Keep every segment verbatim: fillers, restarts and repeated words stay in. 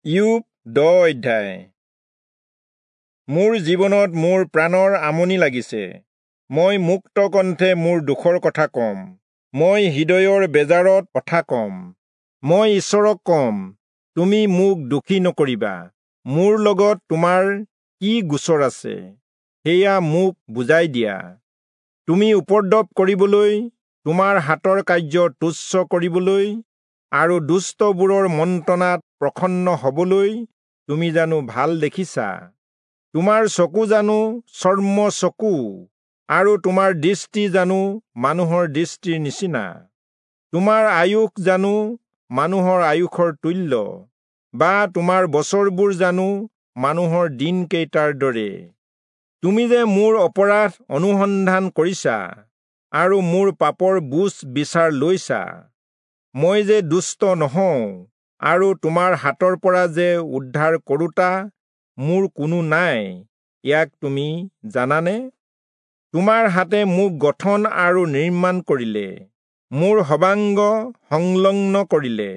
ইয়োব দহ অধ্যায়। মোৰ জীৱনত মোৰ প্ৰাণৰ আমনি লাগিছে। মই মুক্ত কণ্ঠে মোৰ দুখৰ কথা কম, মই হৃদয়ৰ বেজাৰত কথা কম। মই ঈশ্বৰক কম, তুমি মোক দুখী নকৰিবা, মোৰ লগত তোমাৰ কি গোচৰ আছে সেয়া মোক বুজাই দিয়া। তুমি উপদ্ৰৱ কৰিবলৈ, তোমাৰ হাতৰ কাৰ্য তুচ্ছ কৰিবলৈ আৰু দুষ্টবোৰৰ মন্ত্ৰণাত প্ৰসন্ন হবলৈ তুমি জানো ভাল দেখিছা? তোমাৰ চকু জানো চৰ্ম চকু, আৰু তোমাৰ দৃষ্টি জানো মানুহৰ দৃষ্টিৰ নিচিনা? তোমাৰ আয়ুস জানো মানুহৰ আয়ুসৰ তুল্য, বা তোমাৰ বছৰবোৰ জানো মানুহৰ দিনকেইটাৰ দৰে? তুমি যে মোৰ অপৰাধ অনুসন্ধান কৰিছা আৰু মোৰ পাপৰ বুজ বিচাৰ লৈছা, মই যে দুষ্ট নহওঁ আৰু তোমাৰ হাতৰ পৰা যে উদ্ধাৰ কৰোঁতা মোৰ কোনো নাই, ইয়াক তুমি জানানে? তোমাৰ হাতে মোক গঠন আৰু নিৰ্মাণ কৰিলে, মোৰ সৰ্বাংগ সংলগ্ন কৰিলে,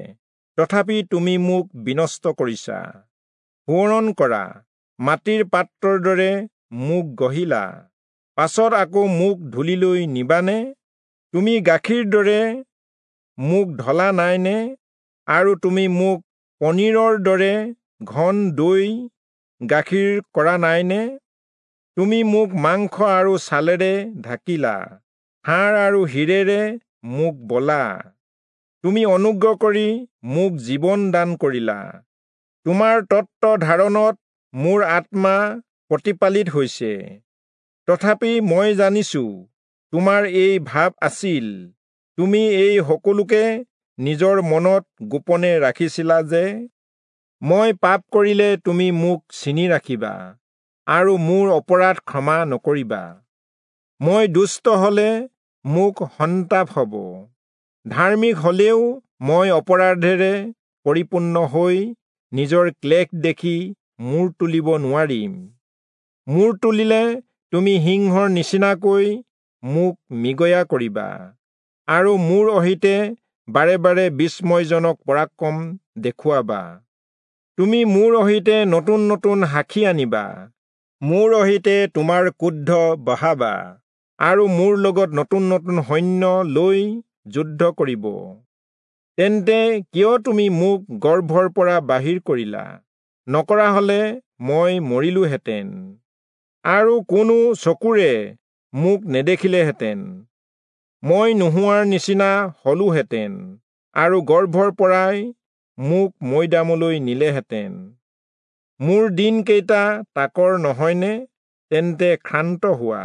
তথাপি তুমি মোক বিনষ্ট কৰিছা। সোঁৱৰণ কৰা, মাটিৰ পাত্ৰৰ দৰে মোক গঢ়িলা, পাছত আকৌ মোক ধূলিলৈ নিবানে? তুমি গাখীৰ দৰে মোক ঢলা নাইনে, আৰু তুমি মোক পনীৰৰ দৰে ঘন দৈ গাখীৰ কৰা নাইনে? তুমি মোক মাংস আৰু ছালেৰে ঢাকিলা, হাড় আৰু শিৰেৰে মোক বলা। তুমি অনুগ্ৰহ কৰি মোক জীৱন দান কৰিলা, তোমাৰ তত্ত্ব ধাৰণত মোৰ আত্মা প্ৰতিপালিত হৈছে। তথাপি মই জানিছো তোমাৰ এই ভাৱ আছিল, তুমি এই সকলোকে নিজৰ মনত গোপনে ৰাখিছিলা যে মই পাপ কৰিলে তুমি মোক চিনি ৰাখিবা আৰু মোৰ অপৰাধ ক্ষমা নকৰিবা। মই দুষ্ট হলে মোক সন্তাপ হ'ব, ধাৰ্মিক হলেও মই অপৰাধেৰে পৰিপূৰ্ণ হৈ নিজৰ ক্লেশ দেখি মূৰ তুলিব নোৱাৰিম। মূৰ তুলিলে তুমি সিংহৰ নিচিনাকৈ মোক মৃগয়া কৰিবা আৰু মোৰ অহিতে বাৰে বাৰে বিস্ময়জনক পৰাক্ৰম দেখুৱাবা। তুমি মোৰ অহিতে নতুন নতুন সাক্ষী আনিবা, মোৰ অহিতে তোমাৰ ক্ৰোধ বঢ়াবা আৰু মোৰ লগত নতুন নতুন সৈন্য লৈ যুদ্ধ কৰিব। তেন্তে কিয় তুমি মোক গৰ্ভৰ পৰা বাহিৰ কৰিলা? নকৰা হলে মই মৰিলোহেঁতেন আৰু কোনো চকুৰে মোক নেদেখিলেহেঁতেন। মই নোহোৱাৰ নিচিনা হলোহেঁতেন আৰু গৰ্ভৰ পৰাই মোক মৈদামলৈ নিলেহেঁতেন। মোৰ দিনকেইটা তাকৰ নহয়নে? তেন্তে ক্ষান্ত হোৱা,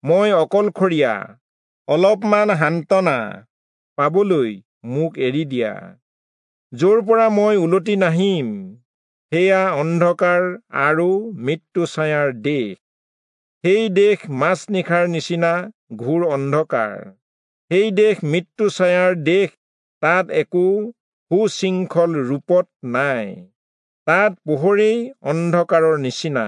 মই অকলশৰীয়া, অলপমান সান্তনা পাবলৈ মোক এৰি দিয়া। য'ৰ পৰা মই উলটি নাহিম সেয়া অন্ধকাৰ আৰু মৃত্যুছায়াৰ দেশ। সেই দেশ মাজনিশাৰ নিচিনা ঘোৰ অন্ধকাৰ, সেই দেশ মৃত্যুছায়াৰ দেশ, তাত একো সুশৃংখল ৰূপত নাই, তাত পোহৰেই অন্ধকাৰৰ নিচিনা।